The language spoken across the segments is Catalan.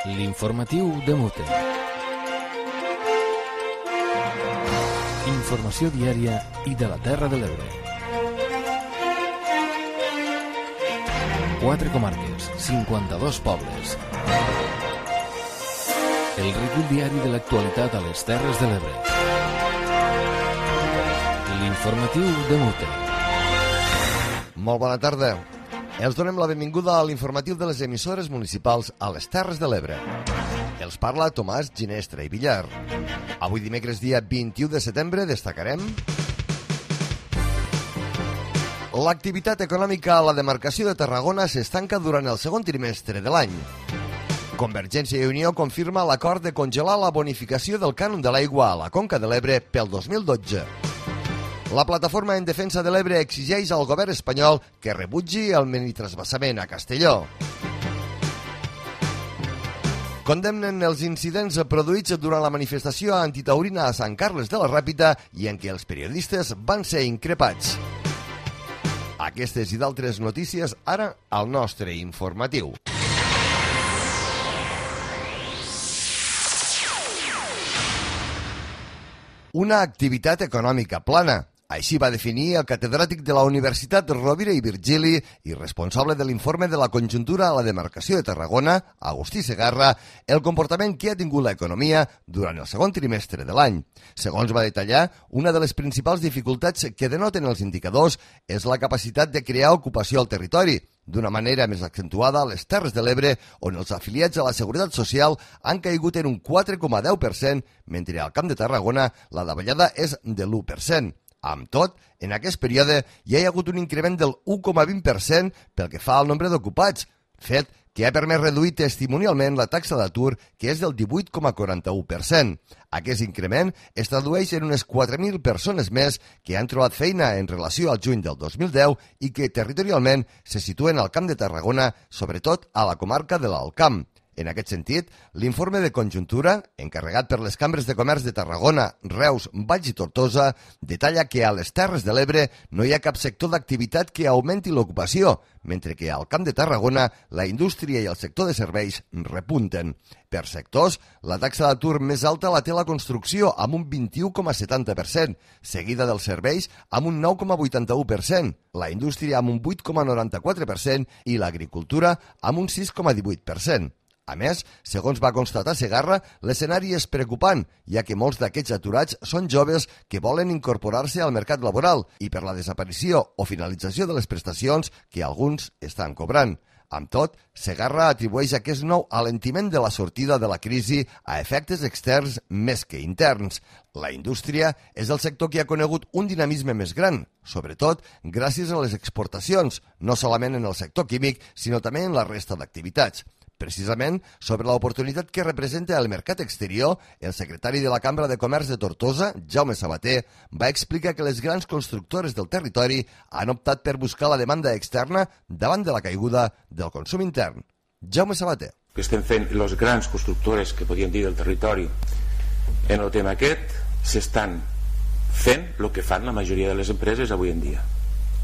L'informatiu de Mute. Informació diària i de la Terra de l'Ebre. 4 comarques, 52 pobles. El recull diari de l'actualitat a les Terres de l'Ebre. L'informatiu de Mute. Molt bona tarda. Els donem la benvinguda a l'informatiu de les emissores municipals a les Terres de l'Ebre. Els parla Tomàs Ginestra i Villar. Avui dimecres dia 21 de setembre destacarem l'activitat econòmica a la demarcació de Tarragona s'estanca durant el segon trimestre de l'any. Convergència i Unió confirma l'acord de congelar la bonificació del cànon de l'aigua a la Conca de l'Ebre pel 2012. La plataforma en defensa de l'Ebre exigeix al govern espanyol que rebutgi el minitransvasament a Castelló. Condemnen els incidents produïts durant la manifestació antitaurina a Sant Carles de la Ràpita i en què els periodistes van ser increpats. Aquestes i d'altres notícies ara al nostre informatiu. Una activitat econòmica plana. Així va definir el catedràtic de la Universitat Rovira i Virgili i responsable de l'informe de la conjuntura a la demarcació de Tarragona, Agustí Segarra, el comportament que ha tingut l'economia durant el segon trimestre de l'any. Segons va detallar, una de les principals dificultats que denoten els indicadors és la capacitat de crear ocupació al territori, d'una manera més accentuada a les Terres de l'Ebre, on els afiliats a la Seguretat Social han caigut en un 4,10%, mentre al Camp de Tarragona la davallada és de l'1%. Amb tot, en aquest període hi ha hagut un increment del 1,20% pel que fa al nombre d'ocupats, fet que ha permès reduir testimonialment la taxa d'atur, que és del 18,41%. Aquest increment es tradueix en unes 4.000 persones més que han trobat feina en relació al juny del 2010 i que territorialment se situen al Camp de Tarragona, sobretot a la comarca de l'Alt Camp. En aquest sentit, l'informe de conjuntura, encarregat per les cambres de comerç de Tarragona, Reus, Valls i Tortosa, detalla que a les Terres de l'Ebre no hi ha cap sector d'activitat que augmenti l'ocupació, mentre que al Camp de Tarragona la indústria i el sector de serveis repunten. Per sectors, la taxa d'atur més alta la té la construcció, amb un 21,70%, seguida dels serveis amb un 9,81%, la indústria amb un 8,94% i l'agricultura amb un 6,18%. A més, segons va constatar Segarra, l'escenari és preocupant, ja que molts d'aquests aturats són joves que volen incorporar-se al mercat laboral i per la desaparició o finalització de les prestacions que alguns estan cobrant. Amb tot, Segarra atribueix aquest nou alentiment de la sortida de la crisi a efectes externs més que interns. La indústria és el sector que ha conegut un dinamisme més gran, sobretot gràcies a les exportacions, no solament en el sector químic, sinó també en la resta d'activitats. Precisament, sobre l'oportunitat que representa el mercat exterior, el secretari de la Cambra de Comerç de Tortosa, Jaume Sabater, va explicar que les grans constructores del territori han optat per buscar la demanda externa davant de la caiguda del consum intern. Jaume Sabater. Que estem fent les grans constructores, que podríem dir, del territori, en el tema aquest, s'estan fent el que fan la majoria de les empreses avui en dia.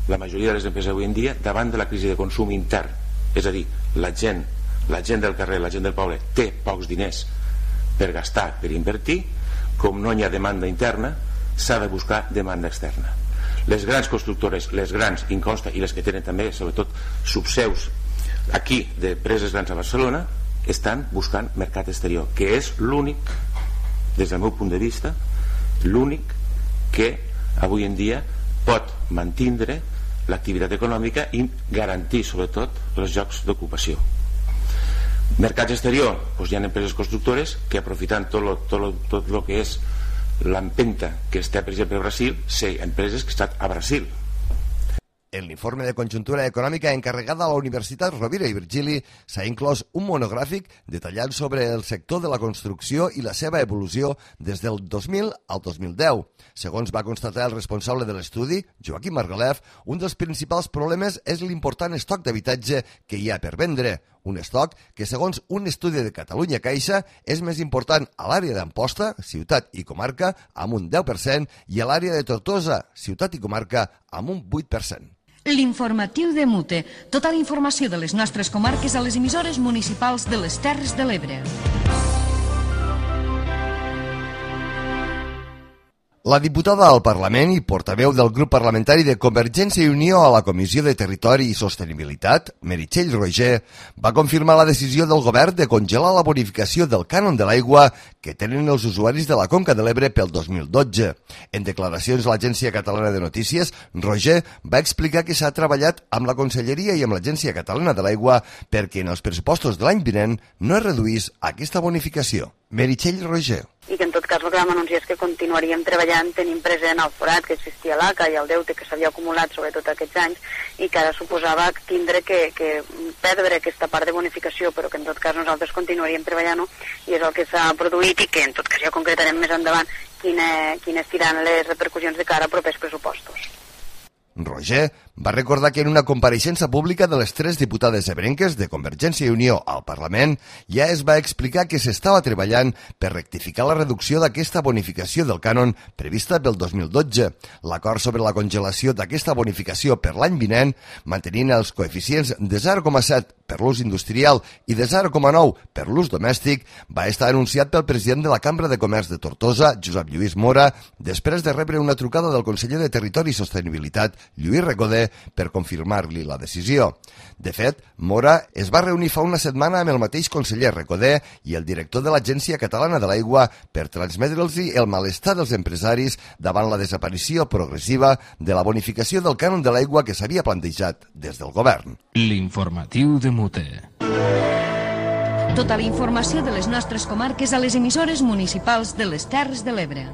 La majoria de les empreses avui en dia, davant de la crisi de consum intern, és a dir, la gent del carrer, la gent del poble té pocs diners per gastar, per invertir, com no hi ha demanda interna, s'ha de buscar demanda externa. Les grans constructores, les grans Inconsta i les que tenen també, sobretot, subseus aquí d'empreses grans a Barcelona, estan buscant mercat exterior, que és l'únic, des del meu punt de vista, l'únic que avui en dia pot mantindre l'activitat econòmica i garantir, sobretot, els llocs d'ocupació. Mercats exterior, doncs hi ha empreses constructores que aprofitant tot el que és l'empenta que està, per exemple, a Brasil, sé empreses que estan a Brasil. En l'informe de conjuntura econòmica encarregada a la Universitat Rovira i Virgili s'ha inclòs un monogràfic detallant sobre el sector de la construcció i la seva evolució des del 2000 al 2010. Segons va constatar el responsable de l'estudi, Joaquim Margalef, un dels principals problemes és l'important estoc d'habitatge que hi ha per vendre. Un estoc que, segons un estudi de Catalunya Caixa, és més important a l'àrea d'Amposta, ciutat i comarca, amb un 10%, i a l'àrea de Tortosa, ciutat i comarca, amb un 8%. L'informatiu de Mute. Tota la informació de les nostres comarques a les emissores municipals de les Terres de l'Ebre. La diputada al Parlament i portaveu del grup parlamentari de Convergència i Unió a la Comissió de Territori i Sostenibilitat, Meritxell Roigé, va confirmar la decisió del govern de congelar la bonificació del cànon de l'aigua que tenen els usuaris de la Conca de l'Ebre pel 2012. En declaracions a l'Agència Catalana de Notícies, Roigé va explicar que s'ha treballat amb la Conselleria i amb l'Agència Catalana de l'Aigua perquè en els pressupostos de l'any vinent no es reduís aquesta bonificació. Meritxell Roigé. I que en tot cas el que vam anunciar és que continuaríem treballant tenint present el forat que existia a l'ACA i el deute que s'havia acumulat sobretot aquests anys i que ara suposava tindre que perdre aquesta part de bonificació, però que en tot cas nosaltres continuaríem treballant-ho i és el que s'ha produït i que en tot cas ja concretarem més endavant quines seran les repercussions de cara a propers pressupostos. Roigé va recordar que en una compareixença pública de les 3 diputades ebrenques de Convergència i Unió al Parlament ja es va explicar que s'estava treballant per rectificar la reducció d'aquesta bonificació del cànon prevista pel 2012. L'acord sobre la congelació d'aquesta bonificació per l'any vinent, mantenint els coeficients de 0,7 per l'ús industrial i de 0,9 per l'ús domèstic, va estar anunciat pel president de la Cambra de Comerç de Tortosa, Josep Lluís Mora, després de rebre una trucada del conseller de Territori i Sostenibilitat, Lluís Recoder, per confirmar-li la decisió. De fet, Mora es va reunir fa una setmana amb el mateix conseller Recoder i el director de l'Agència Catalana de l'Aigua per transmetre'ls el malestar dels empresaris davant la desaparició progressiva de la bonificació del cànon de l'aigua que s'havia plantejat des del govern. L'informatiu de Mute. Tota la informació de les nostres comarques a les emissores municipals de les Terres de l'Ebre.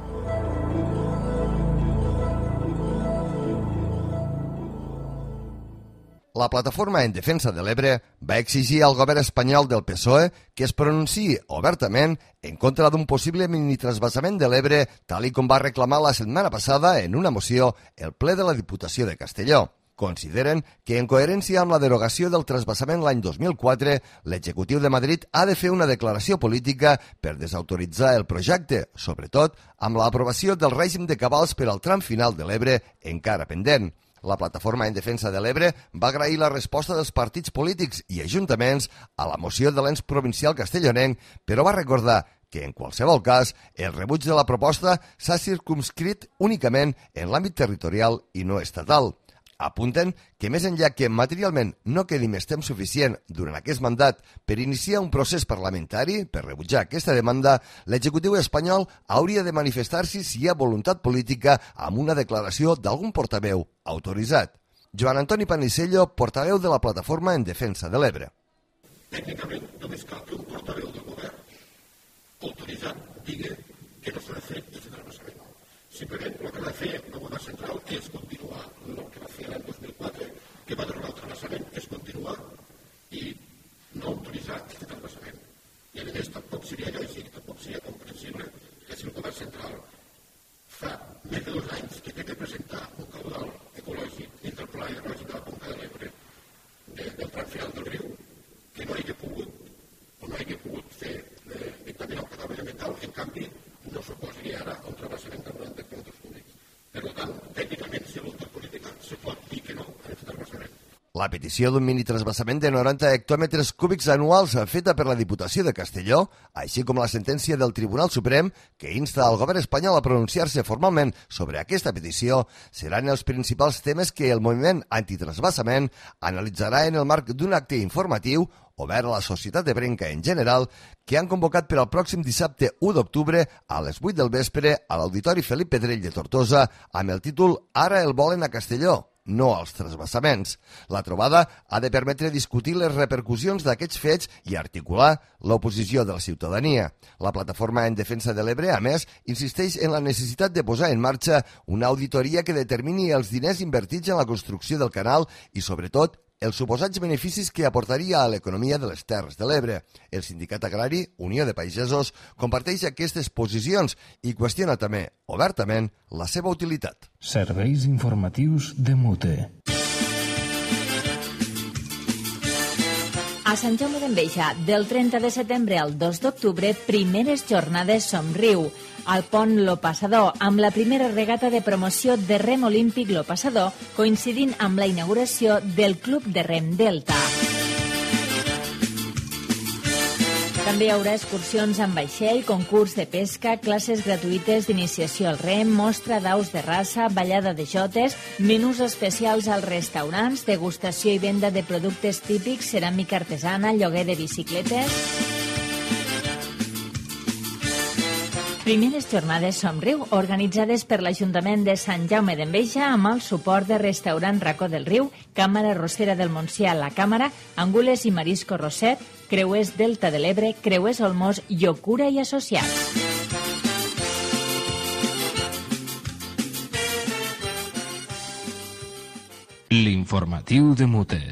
La Plataforma en Defensa de l'Ebre va exigir al govern espanyol del PSOE que es pronunciï obertament en contra d'un possible minitransvasament de l'Ebre, tal i com va reclamar la setmana passada en una moció el ple de la Diputació de Castelló. Consideren que, en coherència amb la derogació del transvasament l'any 2004, l'executiu de Madrid ha de fer una declaració política per desautoritzar el projecte, sobretot amb l'aprovació del règim de cabals per al tram final de l'Ebre encara pendent. La Plataforma en Defensa de l'Ebre va agrair la resposta dels partits polítics i ajuntaments a la moció de l'ens provincial castellonenc, però va recordar que, en qualsevol cas, el rebuig de la proposta s'ha circumscrit únicament en l'àmbit territorial i no estatal. Apunten que més enllà que materialment no quedi més temps suficient durant aquest mandat per iniciar un procés parlamentari per rebutjar aquesta demanda, l'executiu espanyol hauria de manifestar-se si hi ha voluntat política amb una declaració d'algun portaveu autoritzat. Joan Antoni Panisello, portaveu de la Plataforma en Defensa de l'Ebre. Tècnicament, només cal que un portaveu del govern autoritzat digui que no s'ha de fer aquest transvasament. Simplement el que ha de fer el govern central és continuar el que va fer l'any 2004, que va derogar el transvasament, és continuar i no autoritzar aquest transvasament. I a més tampoc seria lògic, tampoc seria comprensible que si el govern central fa més de 2 anys que té que presentar un caudal ecològic entre el Pla Hidrològic de la Conca de l'Ebre del tram final del riu, que no hagi pogut fer dictaminar el caudal ambiental, en canvi no suposaria ara un transvasament de 90 quilòmetres cúbics. Per tant, tècnicament, si voluntat política, se pot dir que no a aquest transvasament. La petició d'un minitransvasament de 90 hectòmetres cúbics anuals feta per la Diputació de Castelló, així com la sentència del Tribunal Suprem que insta al govern espanyol a pronunciar-se formalment sobre aquesta petició, seran els principals temes que el moviment antitransvasament analitzarà en el marc d'un acte informatiu obert a la societat ebrenca en general, que han convocat per al pròxim dissabte 1 d'octubre a les 8 del vespre a l'Auditori Felip Pedrell de Tortosa amb el títol Ara el volen a Castelló, no als transvasaments. La trobada ha de permetre discutir les repercussions d'aquests fets i articular l'oposició de la ciutadania. La Plataforma en Defensa de l'Ebre, a més, insisteix en la necessitat de posar en marxa una auditoria que determini els diners invertits en la construcció del canal i, sobretot, els suposats beneficis que aportaria a l'economia de les Terres de l'Ebre. El sindicat agrari, Unió de Pagesos, comparteix aquestes posicions i qüestiona també, obertament, la seva utilitat. Serveis informatius de Mute. A Sant Jaume d'Enveja, del 30 de setembre al 2 d'octubre, primeres jornades Somriu. Al pont Lo Passador, amb la primera regata de promoció de rem olímpic Lo Passador, coincidint amb la inauguració del Club de Rem Delta. També hi haurà excursions amb vaixell, concurs de pesca, classes gratuïtes d'iniciació al rem, mostra d'aus de raça, ballada de jotes, menús especials als restaurants, degustació i venda de productes típics, ceràmica artesana, lloguer de bicicletes. Primeres jornades Somriu, organitzades per l'Ajuntament de Sant Jaume d'Enveja amb el suport de Restaurant Racó del Riu, Càmera Rossera del Montsià, La Càmera, Angules i Marisco Roset, Creuers Delta de l'Ebre, Creuers Olmos, Llocura i Associats. L'informatiu de Mute.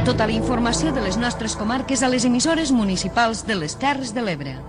Tota la informació de les nostres comarques a les emissores municipals de les Terres de l'Ebre.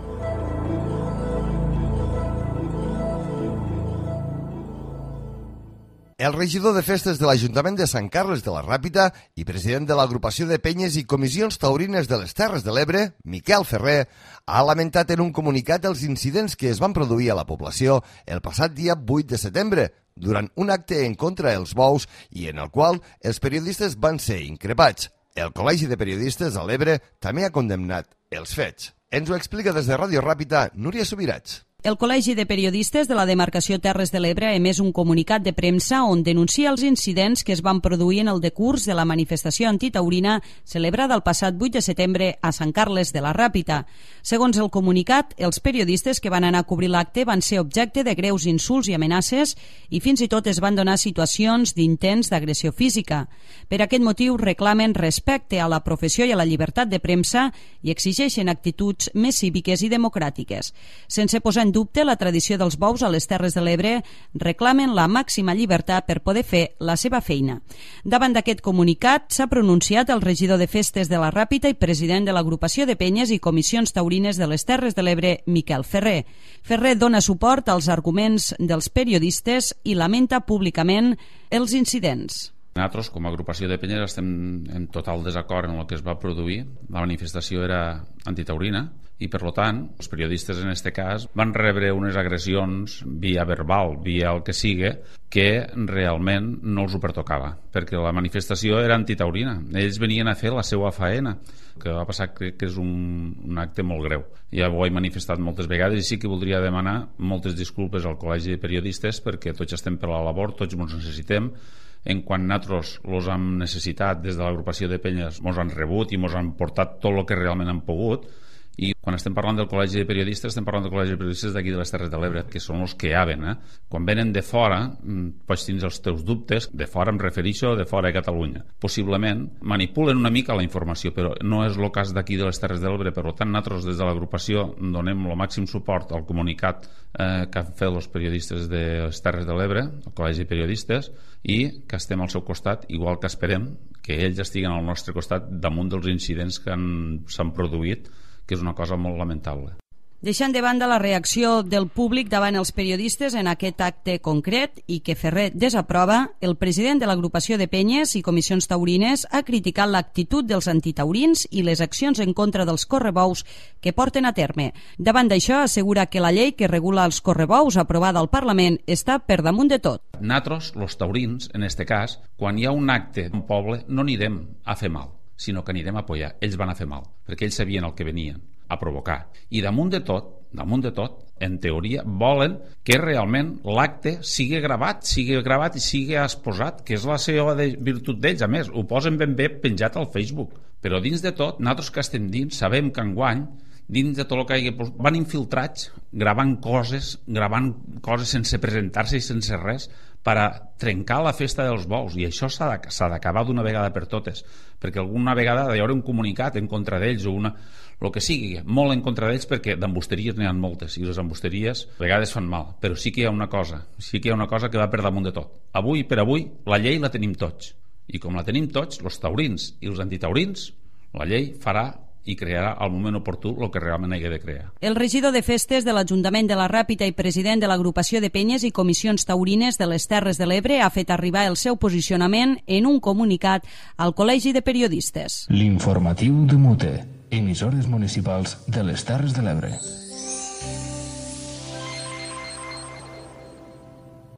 El regidor de festes de l'Ajuntament de Sant Carles de la Ràpita i president de l'agrupació de penyes i comissions taurines de les Terres de l'Ebre, Miquel Ferrer, ha lamentat en un comunicat els incidents que es van produir a la població el passat dia 8 de setembre, durant un acte en contra dels bous i en el qual els periodistes van ser increpats. El Col·legi de Periodistes de l'Ebre també ha condemnat els fets. Ens ho explica des de Ràdio Ràpita Núria Subirats. El Col·legi de Periodistes de la demarcació Terres de l'Ebre ha emès un comunicat de premsa on denuncia els incidents que es van produir en el decurs de la manifestació antitaurina celebrada el passat 8 de setembre a Sant Carles de la Ràpita. Segons el comunicat, els periodistes que van anar a cobrir l'acte van ser objecte de greus insults i amenaces i fins i tot es van donar situacions d'intents d'agressió física. Per aquest motiu reclamen respecte a la professió i a la llibertat de premsa i exigeixen actituds més cíviques i democràtiques. Sense posar en dubte la tradició dels bous a les Terres de l'Ebre, reclamen la màxima llibertat per poder fer la seva feina. Davant d'aquest comunicat s'ha pronunciat el regidor de festes de la Ràpita i president de l'agrupació de penyes i comissions taurines de les Terres de l'Ebre, Miquel Ferrer. Ferrer dona suport als arguments dels periodistes i lamenta públicament els incidents. Nosaltres, com a agrupació de penyes, estem en total desacord en el que es va produir. La manifestació era antitaurina i, per tant, els periodistes en aquest cas van rebre unes agressions via verbal, via el que sigui, que realment no els ho pertocava, perquè la manifestació era antitaurina. Ells venien a fer la seva faena. El que va passar crec que és un acte molt greu. Ja ho he manifestat moltes vegades i sí que voldria demanar moltes disculpes al Col·legi de Periodistes perquè tots estem per la labor, tots ens necessitem. En quan nosaltres els hem necessitat des de l'agrupació de penyes, ens han rebut i ens han portat tot el que realment han pogut. I quan estem parlant del Col·legi de Periodistes, estem parlant del Col·legi de Periodistes d'aquí de les Terres de l'Ebre, que són els que hi haven. Quan venen de fora, pots tenir els teus dubtes, de fora em refereixo, de fora de Catalunya. Possiblement manipulen una mica la informació, però no és el cas d'aquí de les Terres de l'Ebre. Per tant, nosaltres des de l'agrupació donem el màxim suport al comunicat que han fet els periodistes de les Terres de l'Ebre, el Col·legi de Periodistes, i que estem al seu costat, igual que esperem que ells estiguen al nostre costat damunt dels incidents que s'han produït, que és una cosa molt lamentable. Deixant de banda la reacció del públic davant els periodistes en aquest acte concret i que Ferrer desaprova, el president de l'agrupació de penyes i comissions taurines ha criticat l'actitud dels antitaurins i les accions en contra dels correbous que porten a terme. Davant d'això, assegura que la llei que regula els correbous aprovada al Parlament està per damunt de tot. Nosaltres, els taurins, en aquest cas, quan hi ha un acte d'un poble, no anirem a fer mal, sinó que anirem a apoyar. Ells van a fer mal, perquè ells sabien el que venien a provocar. I damunt de tot, en teoria, volen que realment l'acte sigui gravat i sigui exposat, que és la seva virtut d'ells. A més, ho posen ben bé penjat al Facebook. Però dins de tot, nosaltres que estem dins, sabem que enguany, dins de tot el que van infiltrats, gravant coses sense presentar-se i sense res, per a trencar la festa dels bous, i això s'ha d'acabar d'una vegada per totes, perquè alguna vegada hi haurà un comunicat en contra d'ells o el que sigui, molt en contra d'ells, perquè d'embusteries n'hi ha moltes i les embusteries a vegades fan mal, però sí que hi ha una cosa que va per damunt de tot. Avui per avui la llei la tenim tots, i com la tenim tots, els taurins i els antitaurins, la llei farà i crearà al moment oportú el que realment hagi de crear. El regidor de Festes de l'Ajuntament de la Ràpita i president de l'Agrupació de Penyes i Comissions Taurines de les Terres de l'Ebre ha fet arribar el seu posicionament en un comunicat al Col·legi de Periodistes. L'informatiu de Mute, emissores municipals de les Terres de l'Ebre.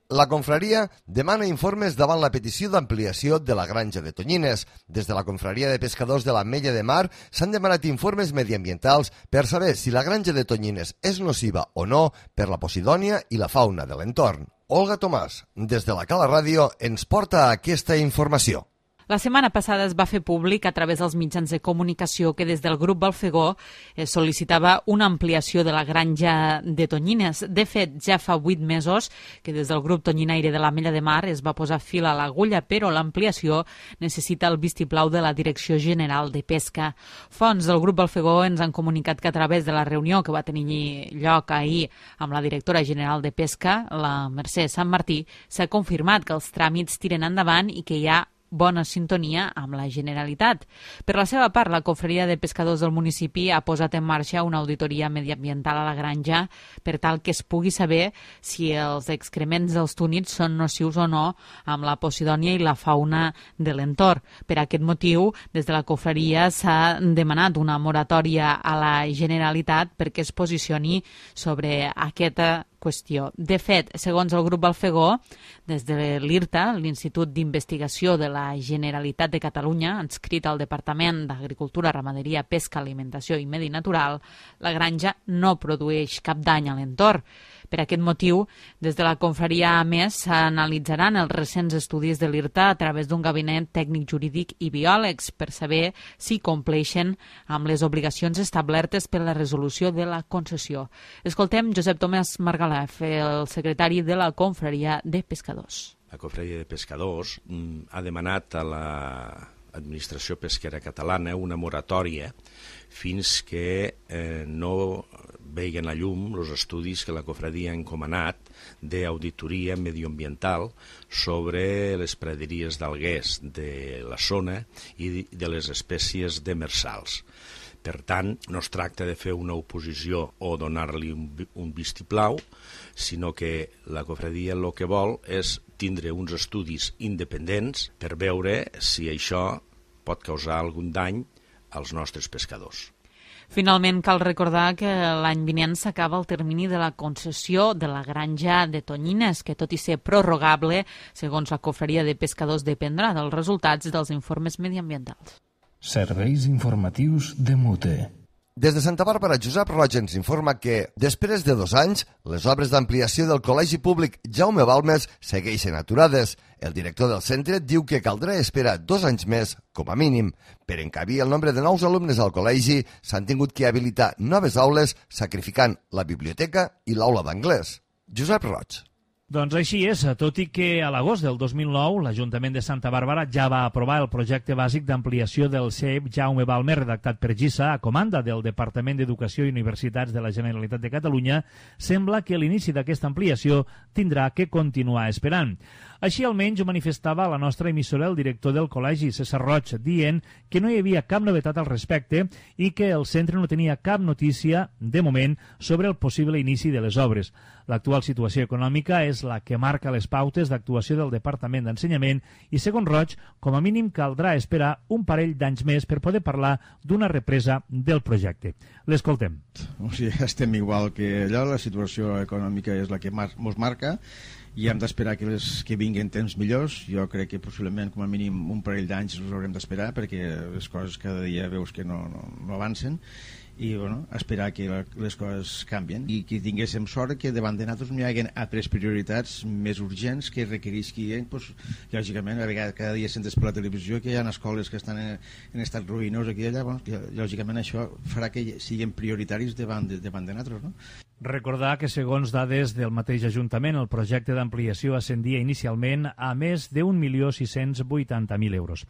La confraria demana informes davant la petició d'ampliació de la granja de Tonyines. Des de la confraria de pescadors de l'Ametlla de Mar s'han demanat informes mediambientals per saber si la granja de Tonyines és nociva o no per la posidònia i la fauna de l'entorn. Olga Tomàs, des de la Cala Ràdio, ens porta aquesta informació. La setmana passada es va fer públic a través dels mitjans de comunicació que des del grup Balfegó es sol·licitava una ampliació de la granja de Tonyines. De fet, ja fa 8 mesos que des del grup Tonyinaire de l'Ametlla de Mar es va posar fil a l'agulla, però l'ampliació necessita el vistiplau de la Direcció General de Pesca. Fonts del grup Balfegó ens han comunicat que a través de la reunió que va tenir lloc ahir amb la directora general de Pesca, la Mercè Sant Martí, s'ha confirmat que els tràmits tiren endavant i que hi ha bona sintonia amb la Generalitat. Per la seva part, la confraria de pescadors del municipi ha posat en marxa una auditoria mediambiental a la granja per tal que es pugui saber si els excrements dels túnids són nocius o no amb la posidònia i la fauna de l'entorn. Per aquest motiu, des de la confraria s'ha demanat una moratòria a la Generalitat perquè es posicioni sobre aquesta qüestió. De fet, segons el grup Balfegó, des de l'IRTA, l'Institut d'Investigació de la Generalitat de Catalunya, adscrit al Departament d'Agricultura, Ramaderia, Pesca, Alimentació i Medi Natural, la granja no produeix cap dany a l'entorn. Per aquest motiu, des de la confraria, a més, s'analitzaran els recents estudis de l'IRTA a través d'un gabinet tècnic jurídic i biòlegs per saber si compleixen amb les obligacions establertes per la resolució de la concessió. Escoltem Josep Tomàs Margalef, el secretari de la confraria de pescadors. La confraria de pescadors ha demanat a l'administració pesquera catalana una moratòria fins que no veien a llum els estudis que la confraria ha encomanat d'auditoria medioambiental sobre les praderies d'alguers de la zona i de les espècies demersals. Per tant, no es tracta de fer una oposició o donar-li un vistiplau, sinó que la confraria el que vol és tindre uns estudis independents per veure si això pot causar algun dany als nostres pescadors. Finalment, cal recordar que l'any vinent s'acaba el termini de la concessió de la granja de Tonyines, que tot i ser prorrogable, segons la confraria de pescadors, dependrà dels resultats dels informes mediambientals. Serveis informatius de Mute. Des de Santa Bàrbara, Josep Roig ens informa que, després de 2 anys, les obres d'ampliació del Col·legi Públic Jaume Balmes segueixen aturades. El director del centre diu que caldrà esperar 2 anys més, com a mínim. Per encabir el nombre de nous alumnes al col·legi, s'han tingut que habilitar noves aules, sacrificant la biblioteca i l'aula d'anglès. Josep Roig. Doncs així és, tot i que a l'agost del 2009 l'Ajuntament de Santa Bàrbara ja va aprovar el projecte bàsic d'ampliació del CEIP Jaume Balmes, redactat per GISA a comanda del Departament d'Educació i Universitats de la Generalitat de Catalunya, sembla que l'inici d'aquesta ampliació tindrà que continuar esperant. Així almenys ho manifestava a la nostra emissora el director del col·legi, César Roig, dient que no hi havia cap novetat al respecte i que el centre no tenia cap notícia, de moment, sobre el possible inici de les obres. L'actual situació econòmica és la que marca les pautes d'actuació del Departament d'Ensenyament i, segons Roig, com a mínim caldrà esperar un parell d'anys més per poder parlar d'una represa del projecte. L'escoltem. O sigui, estem igual que allò, la situació econòmica és la que ens marca i hem d'esperar que vinguin temps millors. Jo crec que possiblement com a mínim un parell d'anys els haurem d'esperar perquè les coses cada dia veus que no avancen i bueno, esperar que les coses canvien i que tinguéssim sort que davant de nosaltres no hi hagi altres prioritats més urgents que requerisquin, doncs, lògicament, a vegades cada dia sentes per la televisió que hi ha escoles que estan en estat ruïnós aquí i allà, bueno, lògicament això farà que siguin prioritaris davant de nosaltres, no? Recordar que, segons dades del mateix Ajuntament, el projecte d'ampliació ascendia inicialment a més de 1.680.000 euros.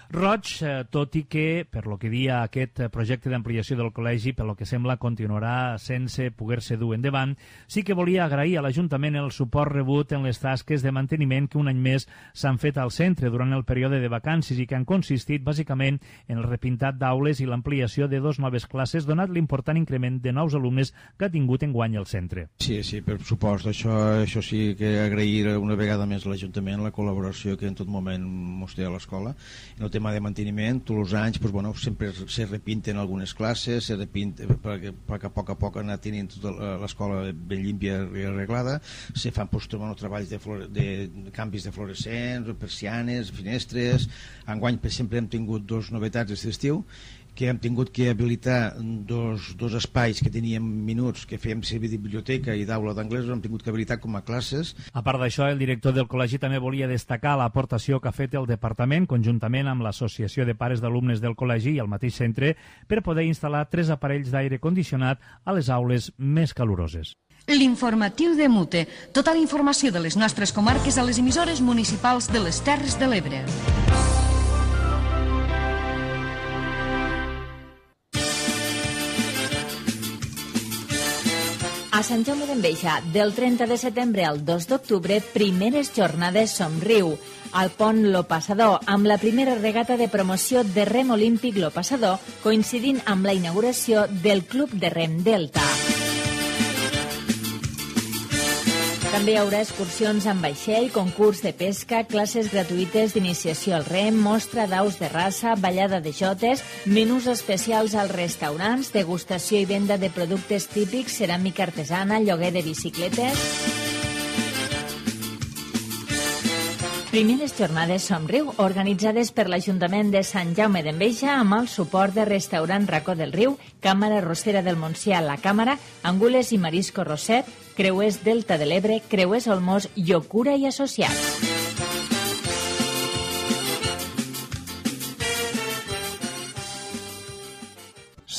Roig, tot i que, per lo que dia aquest projecte d'ampliació del col·legi, per lo que sembla, continuarà sense poder-se dur endavant, sí que volia agrair a l'Ajuntament el suport rebut en les tasques de manteniment que un any més s'han fet al centre durant el període de vacances i que han consistit bàsicament en el repintat d'aules i l'ampliació de 2 noves classes, donat l'important increment de nous alumnes que ha tingut enguany el centre. Sí, per supost, això sí que agrair una vegada més a l'Ajuntament la col·laboració que en tot moment mos té a l'escola. En el tema de manteniment, tots els anys sempre se repinten algunes classes, se repinten perquè a poc anar tenint tota l'escola ben límpia i arreglada, se fan treballs de canvis de fluorescents, persianes, finestres. Enguany, per exemple, hem tingut 2 novetats aquest estiu, que hem tingut que habilitar dos espais que teníem minuts, que fèiem servir de biblioteca i d'aula d'anglès, hem tingut que habilitar com a classes. A part d'això, el director del col·legi també volia destacar l'aportació que ha fet el departament, conjuntament amb l'Associació de Pares d'Alumnes del col·legi i el mateix centre, per poder instal·lar 3 aparells d'aire condicionat a les aules més caloroses. L'informatiu de Mute. Tota la informació de les nostres comarques a les emissores municipals de les Terres de l'Ebre. A Sant Jaume d'Enveja, del 30 de setembre al 2 d'octubre, primeres jornades Somriu. Al pont Lo Passador, amb la primera regata de promoció de rem olímpic Lo Passador, coincidint amb la inauguració del Club de Rem Delta. També hi haurà excursions amb vaixell, concurs de pesca, classes gratuïtes d'iniciació al rem, mostra d'aus de raça, ballada de jotes, menús especials als restaurants, degustació i venda de productes típics, ceràmica artesana, lloguer de bicicletes. Primeres jornades Somriu, organitzades per l'Ajuntament de Sant Jaume d'Enveja amb el suport de Restaurant Racó del Riu, Càmera Rossera del Montsià, La Càmera, Angules i Marisco Roset, Creuers Delta de l'Ebre, Creuers Olmos, Llocura i Associats.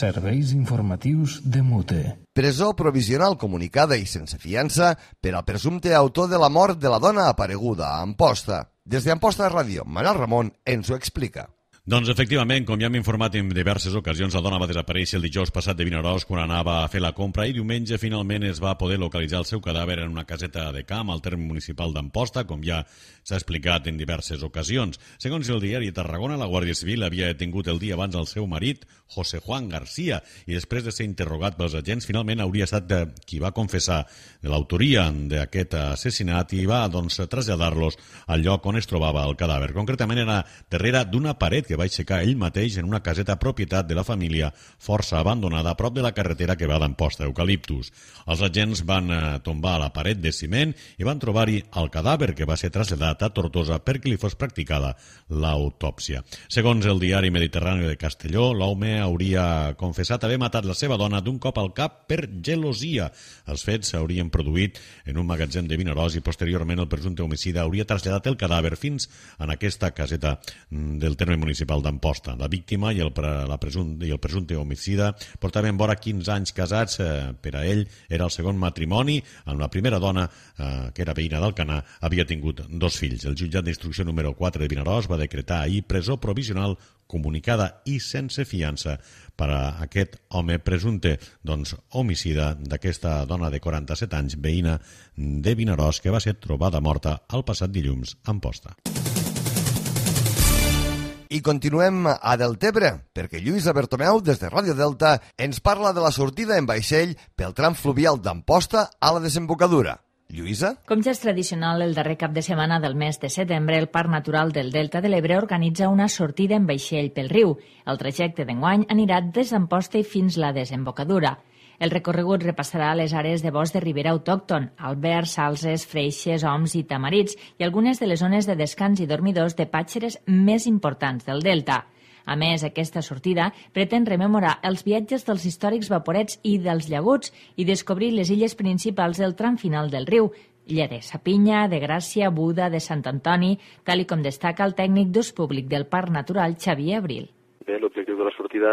Serveis informatius de Mute. Presó provisional comunicada i sense fiança per al presumpte autor de la mort de la dona apareguda a Amposta. Des d'Amposta Ràdio, Manel Ramon ens ho explica. Doncs efectivament, com ja hem informat en diverses ocasions, la dona va desaparèixer el dijous passat de Vinaròs quan anava a fer la compra i diumenge finalment es va poder localitzar el seu cadàver en una caseta de camp al terme municipal d'Amposta, com ja s'ha explicat en diverses ocasions. Segons el diari Tarragona, la Guàrdia Civil havia detingut el dia abans el seu marit, José Juan García, i després de ser interrogat pels agents, finalment hauria estat qui va confessar l'autoria d'aquest assassinat i va traslladar-los al lloc on es trobava el cadàver. Concretament era darrere d'una paret que va aixecar ell mateix en una caseta propietat de la família força abandonada a prop de la carretera que va d'Amposta a Eucaliptus. Els agents van tombar la paret de ciment i van trobar-hi el cadàver que va ser traslladat a Tortosa perquè li fos practicada l'autòpsia. Segons el diari Mediterrani de Castelló, l'home hauria confessat haver matat la seva dona d'un cop al cap per gelosia. Els fets s'haurien produït en un magatzem de Vinaròs i posteriorment el presumpte homicida hauria traslladat el cadàver fins en aquesta caseta del terme municipal d'Amposta. La víctima i el presumpte homicida portaven vora 15 anys casats. Per a ell era el segon matrimoni. Amb la primera dona, que era veïna d'Alcanar, havia tingut 2 fills. El jutjat d'instrucció número 4 de Vinaròs va decretar ahir presó provisional comunicada i sense fiança per a aquest home presumpte homicida d'aquesta dona de 47 anys, veïna de Vinaròs, que va ser trobada morta el passat dilluns a Amposta. I continuem a Deltebre, perquè Lluïsa Bertomeu, des de Ràdio Delta, ens parla de la sortida en vaixell pel tram fluvial d'Amposta a la desembocadura. Lluïsa? Com ja és tradicional, el darrer cap de setmana del mes de setembre, el Parc Natural del Delta de l'Ebre organitza una sortida en vaixell pel riu. El trajecte d'enguany anirà des d'Amposta i fins la desembocadura. El recorregut repassarà les àrees de bosc de ribera autòcton, albergs, salses, freixes, oms i tamarits i algunes de les zones de descans i dormidors de pàtxeres més importants del Delta. A més, aquesta sortida pretén rememorar els viatges dels històrics vaporets i dels llaguts i descobrir les illes principals del tram final del riu, illa de Sapinya, de Gràcia, Buda, de Sant Antoni, tal com destaca el tècnic d'ús públic del Parc Natural, Xavier Abril. Bé, l'objectiu de la sortida,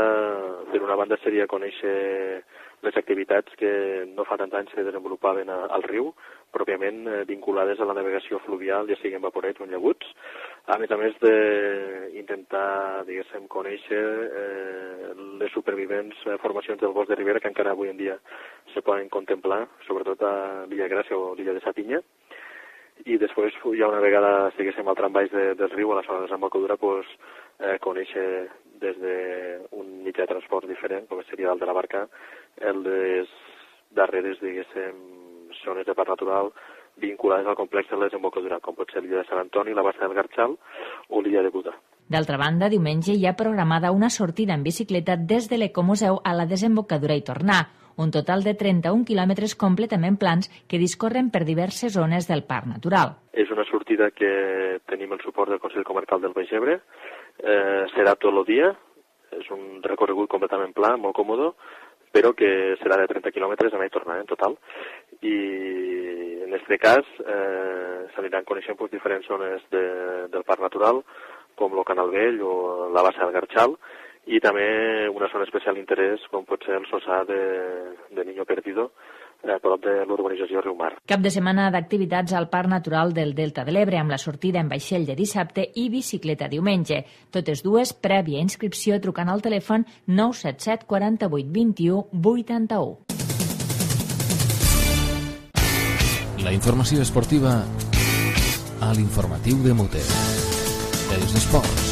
per una banda, seria conèixer les activitats que no fa tant anys que desenvolupaven al riu, pròpiament vinculades a la navegació fluvial, ja siguin vaporets o llaguts. a més d'intentar, diguéssim, conèixer les supervivents formacions del bosc de ribera que encara avui en dia se poden contemplar, sobretot a l'illa Gràcia o l'illa de Sapinya. I després, ja una vegada estiguéssim al tram baix del riu, a la zona de desembocadura, conèixer des d'un mitjà de transport diferent, com seria el de la barca, les darreres, diguéssim, zones de parc natural vinculades al complex de la desembocadura, com pot ser l'illa de Sant Antoni, la bassa del Garxal o l'illa de Buda. D'altra banda, diumenge hi ha programada una sortida en bicicleta des de l'Ecomuseu a la desembocadura i tornar, un total de 31 quilòmetres completament plans que discorren per diverses zones del parc natural. És una sortida que tenim el suport del Consell Comarcal del Baix Ebre, serà tot el dia, és un recorregut completament pla, molt còmode, però que serà de 30 quilòmetres anar i tornar en total. I en aquest cas s'aniran coneixent diferents zones del parc natural, com el Canal Vell o la bassa del Garxal, i també una zona especial d'interès com pot ser el Sossà de Niño Perdido, prop de l'urbanització Riumar. Cap de setmana d'activitats al Parc Natural del Delta de l'Ebre, amb la sortida en vaixell de dissabte i bicicleta diumenge. Totes dues prèvia inscripció trucant al telèfon 977 48 21 81. La informació esportiva a l'informatiu de Mute. Els esports.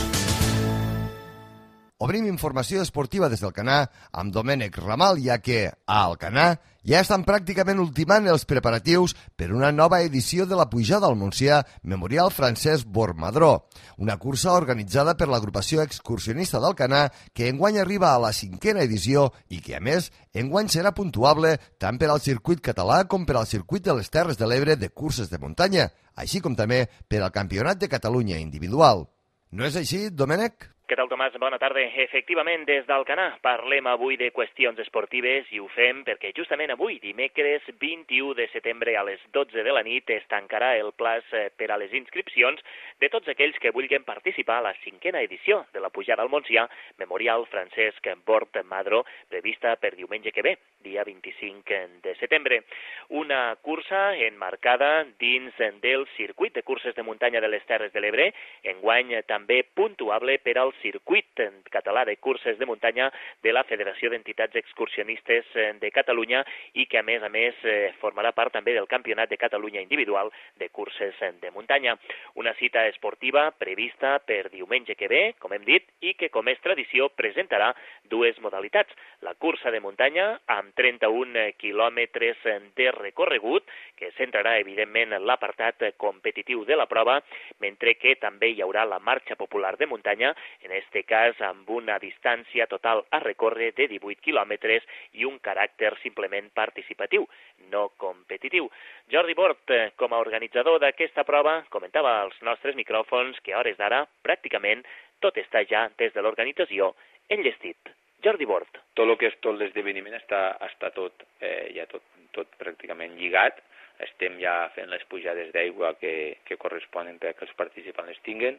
Obrim informació esportiva des d'Alcanar amb Domènec Ramal, ja que a Alcanar ja estan pràcticament ultimant els preparatius per una nova edició de la Pujada al Montsià Memorial Francesc Bormadró, una cursa organitzada per l'agrupació excursionista d'Alcanar que enguany arriba a la 5a edició i que, a més, enguany serà puntuable tant per al circuit català com per al circuit de les Terres de l'Ebre de curses de muntanya, així com també per al Campionat de Catalunya individual. No és així, Domènec? Què tal, Tomàs? Bona tarda. Efectivament, des d'Alcanar parlem avui de qüestions esportives i ho fem perquè justament avui, dimecres 21 de setembre a les 12 de la nit, es tancarà el plaç per a les inscripcions de tots aquells que vulguin participar a la 5a edició de la Pujada al Montsià Memorial Francesc Bormadró, prevista per diumenge que ve, dia 25 de setembre. Una cursa enmarcada dins del circuit de curses de muntanya de les Terres de l'Ebre, enguany també puntuable per al circuit català de curses de muntanya de la Federació d'Entitats Excursionistes de Catalunya i que, a més, formarà part també del Campionat de Catalunya individual de curses de muntanya. Una cita esportiva prevista per diumenge que ve, com hem dit, i que, com és tradició, presentarà dues modalitats. La cursa de muntanya, amb 31 quilòmetres de recorregut, que centrarà, evidentment, l'apartat competitiu de la prova, mentre que també hi haurà la marxa popular de muntanya, en este cas amb una distància total a recórrer de 18 quilòmetres i un caràcter simplement participatiu, no competitiu. Jordi Bort, com a organitzador d'aquesta prova, comentava als nostres micròfons que a hores d'ara pràcticament tot està ja des de l'organització enllestit. Jordi Bort. Tot el que és tot l'esdeveniment està tot pràcticament lligat. Estem ja fent les pujades d'aigua que corresponen perquè els participants les tinguen.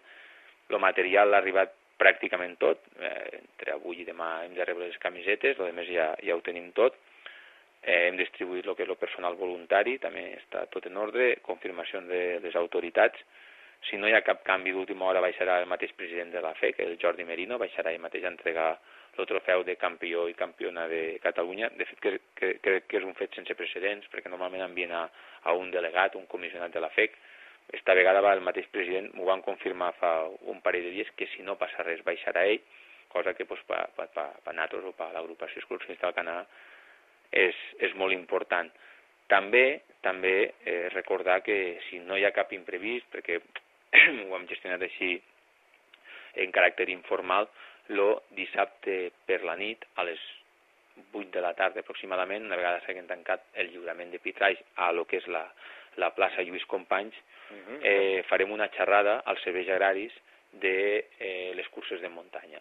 El material ha arribat pràcticament tot, entre avui i demà hem de rebre les camisetes, el més ja ho tenim tot. Hem distribuït el que és el personal voluntari, també està tot en ordre, confirmacions de les autoritats. Si no hi ha cap canvi d'última hora, baixarà el mateix president de la FEC, el Jordi Merino, baixarà ell mateix a entregar el trofeu de campió i campiona de Catalunya. De fet, crec que és un fet sense precedents, perquè normalment envien a un delegat, un comissionat de la FEC. Esta vegada el mateix president m'ho van confirmar fa un parell de dies que si no passa res baixarà ell, cosa que per nosaltres o per l'agrupació excursionista del Canadà és molt important. També recordar que si no hi ha cap imprevist, perquè ho hem gestionat així en caràcter informal, el dissabte per la nit a les 8 de la tarda aproximadament, una vegada s'hagin tancat el lliurament de pitralls a lo que és la plaça Lluís Companys, farem una xerrada als serveis agraris de les curses de muntanya.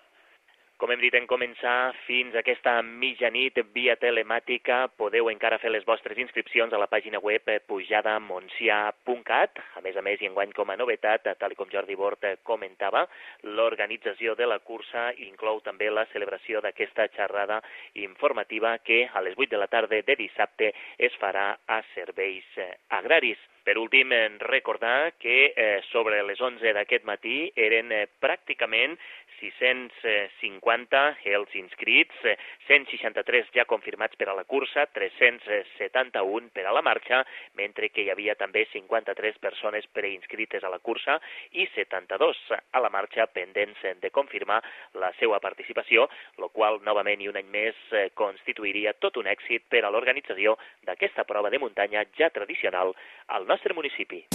Com hem dit en començar, fins aquesta mitjanit via telemàtica podeu encara fer les vostres inscripcions a la pàgina web pujadamontsià.cat. A més, i enguany com a novetat, tal com Jordi Bort comentava, l'organització de la cursa inclou també la celebració d'aquesta xerrada informativa que a les 8 de la tarda de dissabte es farà a Serveis Agraris. Per últim, recordar que sobre les 11 d'aquest matí eren pràcticament 650 els inscrits, 163 ja confirmats per a la cursa, 371 per a la marxa, mentre que hi havia també 53 persones preinscrites a la cursa i 72 a la marxa pendents de confirmar la seva participació, el qual novament i un any més constituiria tot un èxit per a l'organització d'aquesta prova de muntanya ja tradicional al nostre municipi.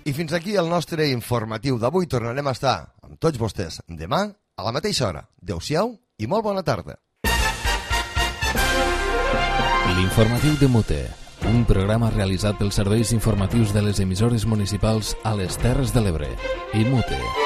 I fins aquí el nostre informatiu d'avui. Tornarem a estar amb tots vostès demà a la mateixa hora. Adéu-siau i molt bona tarda. L'informatiu de Mute, un programa realitzat pels serveis informatius de les emissores municipals a les Terres de l'Ebre i Mute.